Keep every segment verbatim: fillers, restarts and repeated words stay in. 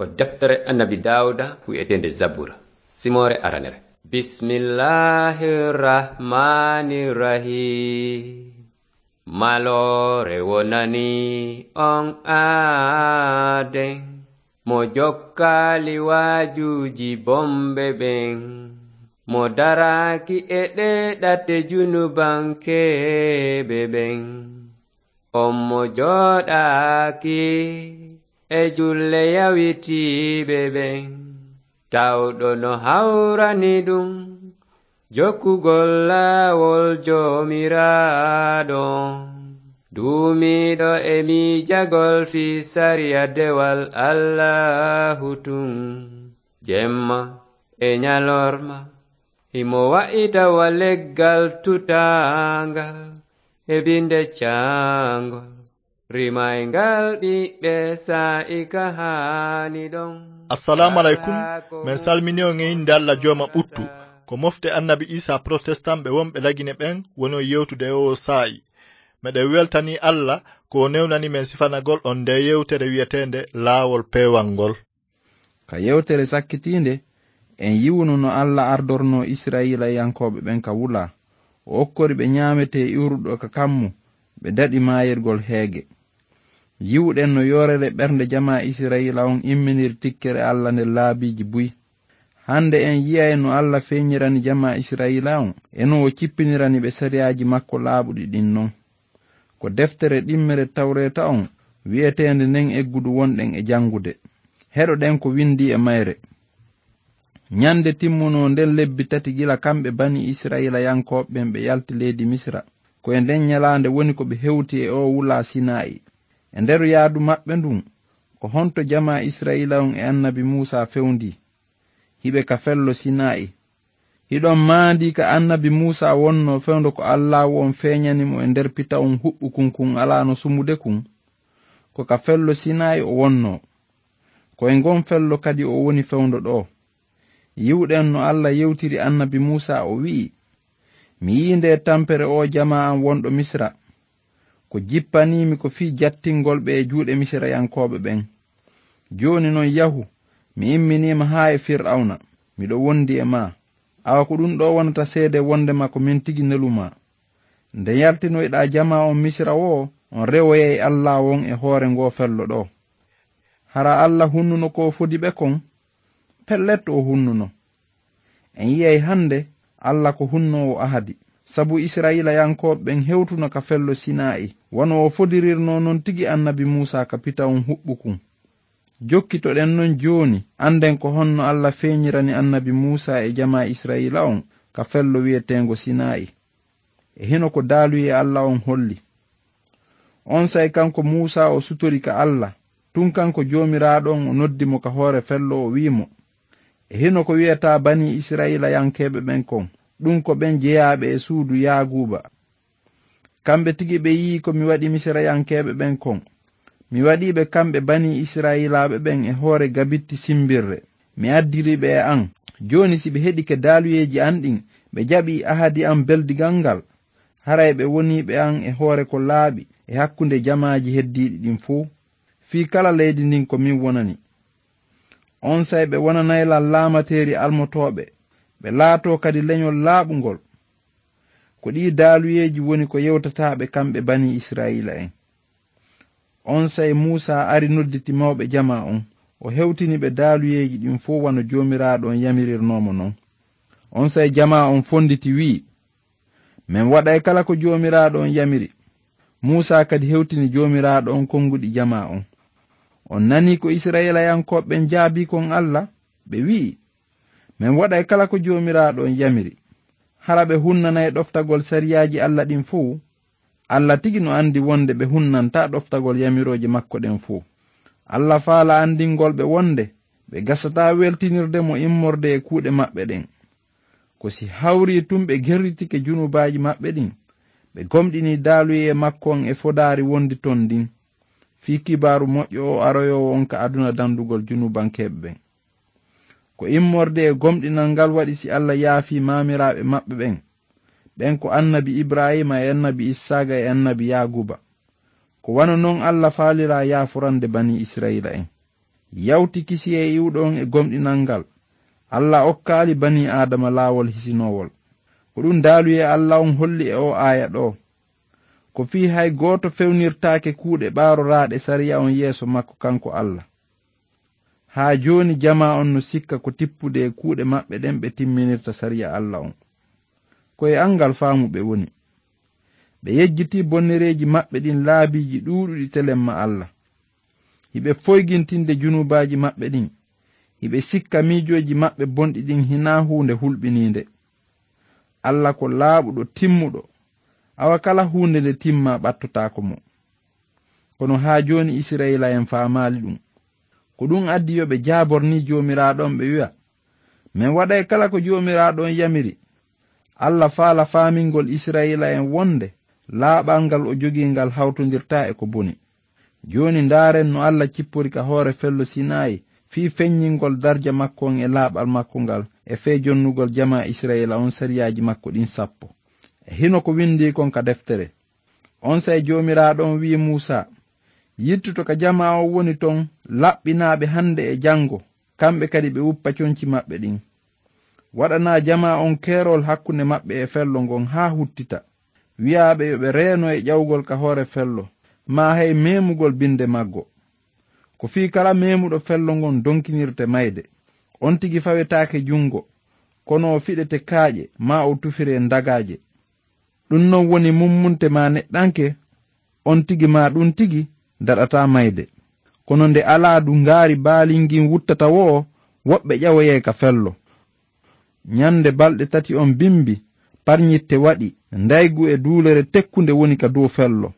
Ko deftere Annabi Daawuda wi'eteende Zabura, simoore aranere. Bismillahir Rahmanir Rahim. Maloore wonani on aaden, mo jokkaali waajuuji bomɓe ɓen, mo daraaki e ɗee ɗate junubankeeɓe ɓen. On mo jooɗaaki e julle yawitiiɓe ɓen, tawɗo no hawrani ɗum jokkugol laawol Joomiraaɗo, duumiiɗo e miijagol fii sariya dewal Allaahu tun, jemma e ñalorma. Himo wa'ita wa leggal tutaangal e binde caangol, rimayngal ɓiɓɓe saa'i ka haani ɗon. Assalamu alaikum. Men salmini on e innde Allah Jooma ɓuttu. Ko mofte Annabi Isa Protestant ɓe wonɓe Lagine ɓen woni on yewtude e oo saa'i. Meɗen weltani Allah ko o newnani men sifanagol on nde yewtere wi'eteende Laawol Peewal ngol. Ka yewtere sakkitiinde, en yi'uno no Alla ardornoo Isra'iilayankooɓe ɓen ka wula. O okkori ɓe ñaametee iwruɗo ka kammu, ɓe daɗi maayirgol heege. Yi'uɗen no yoorere ɓernde jamaa Isra'iila on imminiri tikkere Alla nder laabiiji buy. Hannde en yi'ay no Alla feeñirani jamaa Isra'iila on, e no o cippinirani ɓe sariyaaji makko laaɓuɗi ɗin non. Ko deftere ɗimmere Tawreeta on wi'eteende nden eggudu wonɗen e janngude. Heɗoɗen ko winndii e mayre. Ñande timmunoo nden lebbi tati gila kamɓe banii Isra'iilayankooɓe ɓen ɓe yalti leydi Misira, ko e nden ñalaande woni ko ɓe hewti e oo wulaa Sinaa'i. E nder yaadu maɓɓe ndun, ko honto jamaa Isra'iila on e annabi Muusaa fewndii? Hiɓe ka fello Sinaa'i. Hiɗon maandii ka annabi Muusaa wonnoo fewndo ko Allaahu on feeñani mo e nder pitawun huɓɓukun kun alaano sumude kun? Ko ka fello Sinaa'i o wonnoo. Ko e ngon fello kadi o woni fewndo ɗoo. Yi'uɗen no Alla yewtiri annabi Muusaa, o wi'i, "Mi yi'ii ndee tampere oo jamaa an wonɗo Misira. Ko jippaniimi ko fii jattingol ɓe e juuɗe Misirayankooɓe ɓen. Jooni non yahu, mi imminiima haa e Fir'awna, miɗo wondi e maa. Awa ko ɗun ɗoo wonata seede wondema ko min tigi nelu maa. Nde yaltinoyɗaa jamaa on Misira woo, on rewoyay Allaahu on e hoore ngoo fello ɗoo." Hara Alla hunnuno ko o fodi ɓe kon? Pellet o hunnuno. En yi'ay hannde Alla ko hunnoowo ahadi, sabu Isra'iilayankooɓe ɓen hewtuno ka fello Sinaa'i, wano o fodirirnoo non tigi annabi Muusaa ka pitawun huɓɓukun. Jokkitoɗen non jooni, annden ko honno Alla feeñirani annabi Muusaa e jamaa Isra'iila on ka fello wi'eteengo Sinaa'i. E hino ko daaluyee Alla on holli. Onsay kanko Muusaa o sutori ka Alla, tun kanko Joomiraaɗo on o noddi mo ka hoore fello, o wi'i mo, "E hino ko wi'ataa banii Isra'iilayankeeɓe ɓen kon, ɗun ko ɓen jeyaaɓe e suudu Yaaguuba. Kamɓe tigi ɓe yi'ii ko mi waɗi Misirayankeeɓe ɓen kon. Mi waɗii ɓe kamɓe banii Isra'iilaaɓe ɓen e hoore gabitti simbirre. Mi addiri ɓe e an. Jooni si ɓe heɗike daaluyeeji an ɗin, ɓe jaɓii ahadi an beldigal ngal, haray ɓe woniiɓe an e hoore ko laaɓi e hakkunde jamaaji heddiiɗi ɗin fow. Fii kala leydi ndin ko min wonani. Onsay ɓe wonanay lan laamateeri almotooɓe, ɓe laatoo kadi leñol laaɓungol." Ko ɗii daaluyeeji woni ko yewtataa ɓe kamɓe banii Isra'iila en. Onsay Muusaa ari nodditi mawɓe jamaa on, o hewtini ɓe daaluyeeji ɗin fow wano Joomiraaɗo on yamirirnoo mo non. Onsay jamaa on fonditi wi'i, "Men waɗay kala ko Joomiraaɗo on yamiri." Muusaa kadi hewtini Joomiraaɗo on konguɗi jamaa on. "On nanii ko Isra'iilayankooɓe ɓen jaabii kon Alla?" Ɓe wi'i, "Men waɗay kala ko Joomiraaɗo on yamiri." Hara ɓe hunnanay ɗoftagol sariyaaji Alla ɗin fow? Alla tigi no andi wonde ɓe hunnantaa ɗoftagol yamirooje makko ɗen fow. Alla faala andingol ɓe wonde ɓe gasataa weltinirde mo immorde e kuuɗe maɓɓe ɗen. Ko si hawrii tun ɓe gerritike junubaaji maɓɓe ɗin, ɓe gomɗinii daaluyee makko on e fodaari wondi ton ndin, fii kibaaru moƴƴo o aroyoowo on ka aduna dandugol junubankeeɓe ɓen. Ko immorde e gomɗinal ngal waɗi si Alla yaafii maamiraaɓe maɓɓe ɓen. Ɓen ko annabi Ibraahiima e annabi Issaaqa e annabi Yaaquuba. Ko wano non Alla faaliraa yaaforande banii Isra'iila en. yawti kisiyee iwɗo on e gomɗinal ngal. Alla okkaali banii Aadama laawol hisinoowol. Ko ɗum daaluyee Alla on holli e oo aaya ɗoo. Ko fii hay gooto fewnirtaake kuuɗe ɓaaroraaɗe sariya on yeeso makko kanko Alla. Haa jooni jamaa on no sikka ko tippude e kuuɗe maɓɓe ɗen ɓe timminirta sariya Alla on. Ko e anngal faamu ɓe woni. Ɓe yejjitii bonnereeji maɓɓe ɗin laabiiji ɗuuɗuɗi telemma Alla. Hiɓe foygintinde junubaaji maɓɓe ɗin. Hiɓe sikka miijooji maɓɓe bonɗi ɗin hinaa huunde hulɓiniinde. Alla ko laaɓuɗo, timmuɗo. Awa kala huunde nde timmaa ɓattotaako mo. Kono haa jooni Isirayila en faamaali ɗum. Ko ɗum addi yo ɓe jaabor ni Joomiraaɗo on ɓe wi'a, "Men waɗay kala ko Joomiraaɗo on yamiri." Alla faala faamingol Isirayila en wonde laaɓal ngal o jogii ngal hawtondirtaa e ko boni. Jooni ndaaren no Alla cippori ka hoore fello Sinaayi fii feññingol darja makko on e laaɓal makko ngal e fee jonnugol jamaa Isirayila on sariyaaji makko ɗin sappo. E hino ko windii kon ka deftere. Onsay Joomiraaɗo on wi'i Muusaa, "Yittu to ka jamaa on woni ton, laɓɓinaaɓe hande e jango, kamɓe kadi ɓe wuppa conci maɓɓe ɗin. Waɗanaa jamaa on keerol hakkunde maɓɓe e fello ngon haa huttita. Wi'aa ɓe yo ɓe reeno e ƴawgol ka hoore fello, maa hay meemugol binde maggo. Ko fii kala meemuɗo fello ngon donkinirte mayde. On tigi fawetaake jungo, kono o fiɗete kaaƴe, maa o tufiree ndagaaje. Ɗum non woni mummunte maa neɗɗanke, on tigi maa ɗum tigi daɗataa mayde. Kono nde alaa du ngaari baalingin wuttata woo, woɓɓe ƴawoyay ka fello." Ñande balɗe tati on bimbi, parñitte waɗi, ndaygu e duulere tekkunde woni ka dow fello.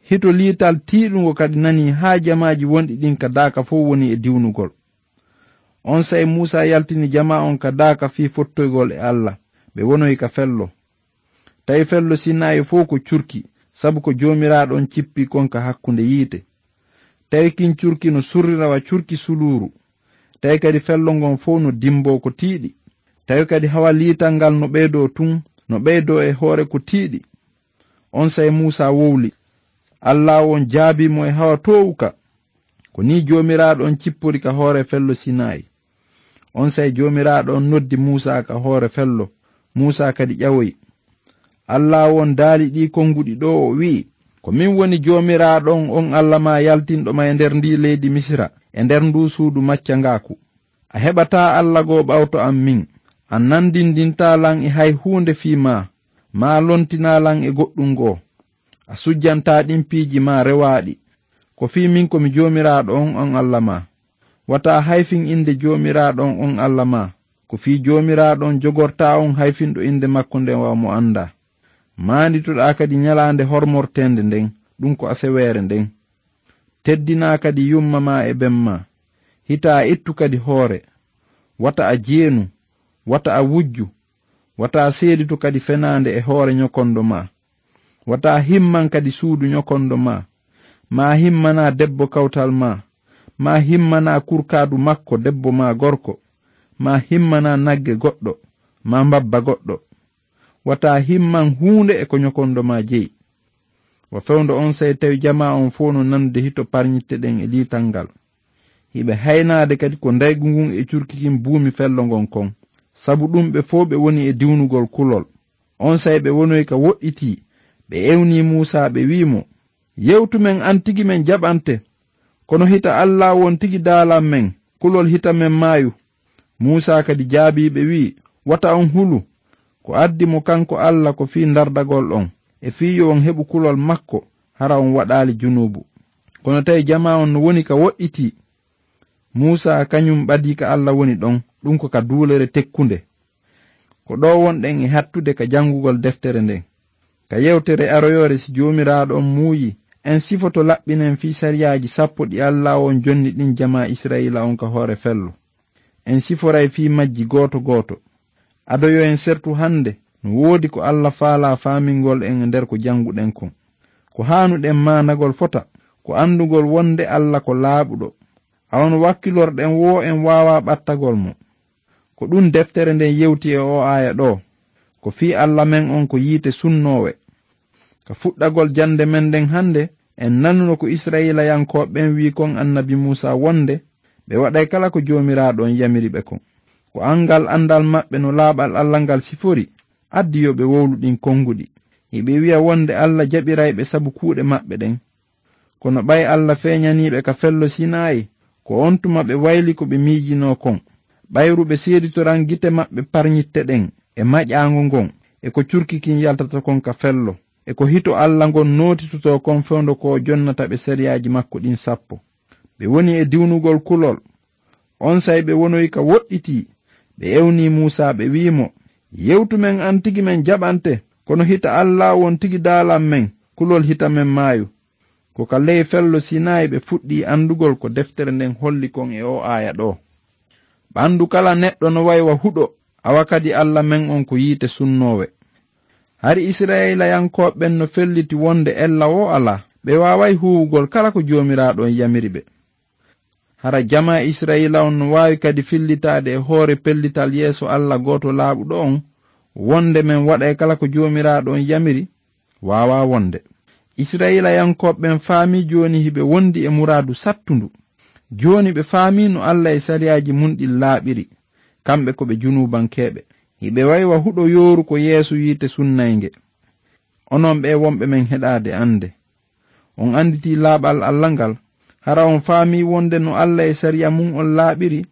Hito liital tiiɗungo kadi nanii haa jamaaji wonɗi ɗin ka daaka fow woni e diwnugol. Onsay Muusaa yaltini jamaa on ka daaka fii fottoygol e Alla, ɓe wonoyi ka fello. Tawi fello Sinaayi fow ko curki, sabu ko Joomiraaɗo on cippi kon ka hakkunde yiite. Tawi kin curki no surrira wa curki suluuru. Tawi kadi fello ngon fow no dimboo ko tiiɗi. Tawi kadi hawa liital ngal no ɓeydoo tun, no ɓeydoo e hoore ko tiiɗi. Onsay Muusaa wowli. Alla on jaabii mo e hawa toowu ka. Ko nii Joomiraaɗo on cippori ka hoore fello Sinaayi. Onsay Joomiraaɗo on noddi Muusaa ka hoore fello. Muusaa kadi ƴawoyi. Alla on daali ɗii konguɗi ɗoo, o wi'i, "Ko min woni Joomiraaɗo on, on Alla maa yaltinɗo ma e nder ndii leydi Misira, e nder nduu suudu maccangaaku. A heɓataa Alla goo ɓawto an min. A nandindintaa lan e hay huunde fii maa, maa lontinaa lan e goɗɗum goo. A sujjantaa ɗin piiji maa rewaaɗi. Ko fii min ko mi Joomiraaɗo on, on Alla maa. Wata a hayfin innde Joomiraaɗo on, on Alla maa. Ko fii Joomiraaɗo on jogortaa on hayfinɗo innde makko nden wa mo anndaa. Maanditoɗaa kadi ñalaande hormorteende nden, ɗum ko aseweere nden. Teddinaa kadi yumma maa e ben maa. Hita a ittu kadi hoore. Wata a jeenu, wata a wujju, wata a seeditu kadi fenaande e hoore ñokondo maa. Wata a himman kadi suudu ñokondo maa. Maa himmanaa debbo kawtal maa. Maa himmanaa kurkaadu makko debbo maa gorko. Maa himmanaa nagge goɗɗo, maa mbabba goɗɗo. Wata a himman huunde e ko ñokondo maa jeyi." Wa fewndo onsay tawi jamaa on fow no nanude hito parñitte ɗen e liital ngal. Hiɓe haynaade kadi ko ndaygu ngun e curki kin buumi fello ngon kon. Sabu ɗum ɓe fow ɓe woni e diwnugol kulol. Onsay ɓe wonoyi ka woɗɗitii, ɓe ewnii Muusaa, ɓe wi'i mo, "Yewtu men an tigi men jaɓante, kono hita Alla on tigi daalan men, kulol hita men maayu." Muusaa kadi jaabii ɓe wi'i, "Wata on hulu, ko addi mo kanko Alla ko fii ndardagol on, e fii yo on heɓu kulol makko, hara on waɗaali junuubu." Kono tawi jamaa on no woni ka woɗɗitii. Muusaa kañum ɓadii ka Alla woni ɗon, ɗum ko ka duulere tekkunde. Ko ɗoo wonɗen e hattude ka janngugol deftere nden. Ka yewtere aroyoore, si Joomiraaɗo on muuyi, en sifoto laɓɓinen fii sariyaaji sappo ɗi Alla on jonni ɗin jamaa Isra'iila on ka hoore fello. En siforay fii majji gooto gooto. Ado yo en sertu hannde, no woodi ko Alla faalaa faamingol en e nder ko jannguɗen kon. Ko haanuɗen maandagol fota, ko anndugol wonde Alla ko laaɓuɗo. Awa no wakkilorɗen woo en waawaa ɓattagol mo. Ko ɗum deftere nden yewti e oo aaya ɗoo. Ko fii Alla men on ko yiite sunnoowe. Ka fuɗɗagol jannde men nden hannde, en nanuno ko Isra'iilayankooɓe ɓen wi'i kon annabi Muusaa wonde, Ɓe waɗay kala ko Joomiraaɗo on yamiri ɓe kon. Ko anngal anndal maɓɓe no laaɓal Alla ngal sifori, addi yo ɓe wowlu ɗin konnguɗi. Hiɓe wi'a wonde Alla jaɓiray ɓe sabu kuuɗe maɓɓe ɗen. Kono ɓay Alla feeñanii ɓe ka fello Sinaayi, ko on tuma ɓe wayli ko ɓe miijinoo kon. Ɓayru ɓe seeditoran gite maɓɓe parñitte ɗen, e maƴaango ngon, e ko curki kin yaltata kon ka fello, e ko hito Alla ngon nootitotoo kon fewndo ko o jonnata ɓe sariyaaji makko ɗin sappo. Ɓe woni e diwnugol kulol. Onsay ɓe wonoyi ka woɗɗitii. Ɓe ewnii Muusaa, ɓe wi'i mo, "Yewtu men an tigi men jaɓante, kono hita Alla on tigi daalan men, kulol hita men maayu." Ko ka ley fello Sinaayi ɓe fuɗɗii anndugol ko deftere nden holli kon e oo aaya ɗoo. Ɓanndu kala neɗɗo no way wa huɗo, awa kadi Alla men on ko yiite sunnoowe. Hari Isra'ilayankooɓe ɓen no felliti wonde ella woo alaa, ɓe waaway huuwugol kala ko Joomiraaɗo on yamiri ɓe. Hara jamaa Isra'iila on no waawi kadi fillitaade e hoore pellital yeeso Alla gooto laaɓuɗo on, wonde men waɗay kala ko Joomiraaɗo on yamiri? Waawaa wonde. Isra'iilayankooɓe ɓen faamii jooni hiɓe wondi e muraadu sattundu. Jooni ɓe faamii no Alla e sariyaaji mun ɗin laaɓiri, kamɓe ko ɓe junuubankeeɓe. Hiɓe way wa huɗo yooru ko yeeso yiite sunnaynge. Onon ɓee wonɓe men heɗaade annde, on annditii laaɓal Alla ngal? Hara on faamii wonde no Alla e sariya mun on laaɓiri?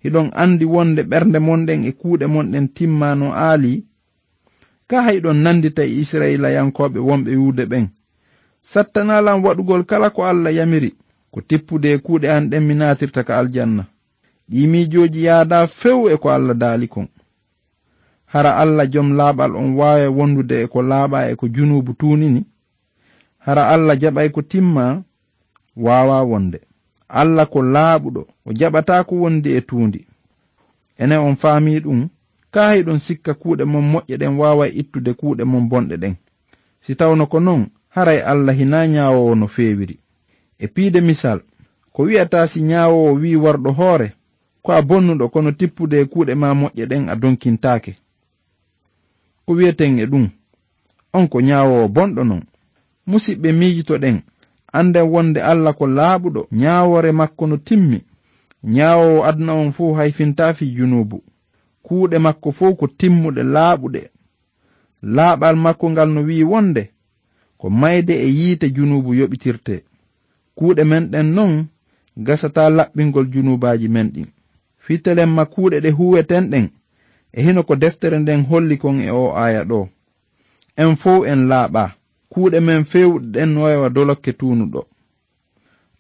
Hiɗon anndi wonde ɓernde mon ɗen e kuuɗe mon ɗen timmaano aalii? Kaa hiɗon nanndita e Isra'iilayankooɓe wonɓe Yude ɓen? Sattanaa lan waɗugol kala ko Alla yamiri, ko tippude e kuuɗe an ɗen mi naatirta ka aljanna. Ɗii miijooji yaadaa few e ko Alla daali kon. Hara Alla jom laaɓal on waaway wondude e ko laaɓaa e ko junuubu tuunini? Hara Alla jaɓay ko timmaa? Waawaa wonde. Alla ko laaɓuɗo, o jaɓataa ko wondi e tuundi. Enen on faamii ɗum, kaa hiɗon sikka kuuɗe mon moƴƴe ɗen waaway ittude kuuɗe mon bonɗe ɗen? Si tawno ko non, haray Alla hinaa ñaawoowo no feewiri. E piide misal, ko wi'ataa si ñaawoowo wi'i warɗo hoore, "Ko a bonnuɗo, kono tippude e kuuɗe maa moƴƴe ɗen a donkintaake"? Ko wi'eten e ɗum, on ko ñaawoowo bonɗo non. Musiɓɓe, miijitoɗen, annden wonde Alla ko laaɓuɗo, ñaawoore makko no timmi. Ñaawoowo aduna on fow hayfintaa fii junuubu. Kuuɗe makko fow ko timmuɗe, laaɓuɗe. Laaɓal makko ngal no wi'i wonde, ko mayde e yiite junuubu yoɓitirtee. Kuuɗe men ɗen non gasataa laɓɓingol junuubaaji men ɗin. Fii telemma kuuɗe ɗe huuweten ɗen, e hino ko deftere nden holli kon e oo aaya ɗoo. En fow en laaɓaa. Kuuɗe men feewuɗe ɗen no way wa dolokke tuunuɗo.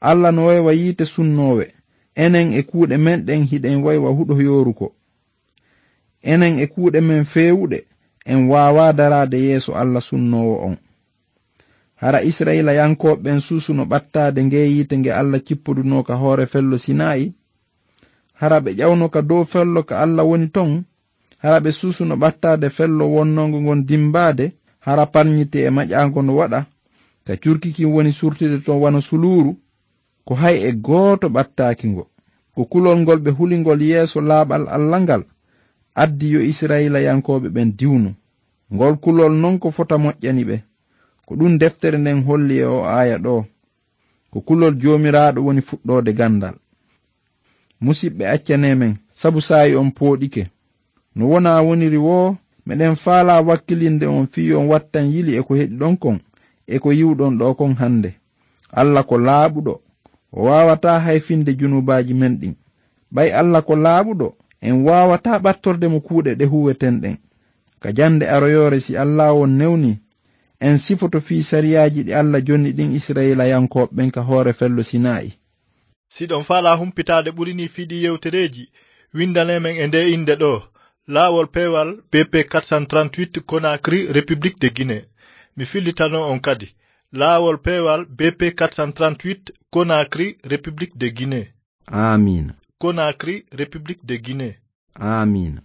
Alla no way wa yiite sunnoowe. Enen e kuuɗe men ɗen hiɗen way wa huɗo yooruko. Enen e kuuɗe men feewuɗe, en waawaa daraade yeeso Alla sunnoowo on. Hara Isra'iilayankooɓe ɓen suusuno ɓattaade ngee yiite nge Alla cippodunoo ka hoore fello Sinaa'i? Hara ɓe ƴawno ka dow fello ka Alla woni ton? Hara ɓe suusuno ɓattaade fello wonnoongo ngon dimbaade, hara parñite e maƴaango no waɗa, ka curki kin woni surtude ton wano suluuru? Ko hay e gooto ɓattaaki ngo. Ko kulol ngol ɓe huli ngol yeeso laaɓal Alla ngal, addi yo Isra'iilayankooɓe ɓen diwnu. Ngol kulol non ko fota moƴƴani ɓe. Ko ɗum deftere nden holli e oo aaya ɗoo. Ko kulol Joomiraaɗo woni fuɗɗoode ganndal. Musiɓɓe, accanee men, sabu saa'i on pooɗike. No wonaa woniri woo, meɗen faalaa wakkilinde on fii on wattan yili e ko heɗiɗon kon, e ko yi'uɗon ɗoo kon hannde. Alla ko laaɓuɗo, o waawataa hayfinde junuubaaji men ɗin. Ɓay Alla ko laaɓuɗo, en waawataa ɓattorde mo kuuɗe ɗe huuweten ɗen. Ka jannde aroyoore, si Alla on newnii, en sifoto fii sariyaaji ɗi Alla jonni ɗin Isra'iilayankooɓe ɓen ka hoore fello Sinaa'i. Si ɗon faalaa humpitaade ɓuri nii fii ɗii yewtereeji, winndanee men e ndee innde ɗoo, Laawol Peewal B P quatre cent trente-huit, Conakry, République de Guinée. Mi fillitano on kadi, Laawol Peewal B P quatre cent trente-huit, Conakry, République de Guinée. Aamiin. Conakry, République de Guinée. Aamiin.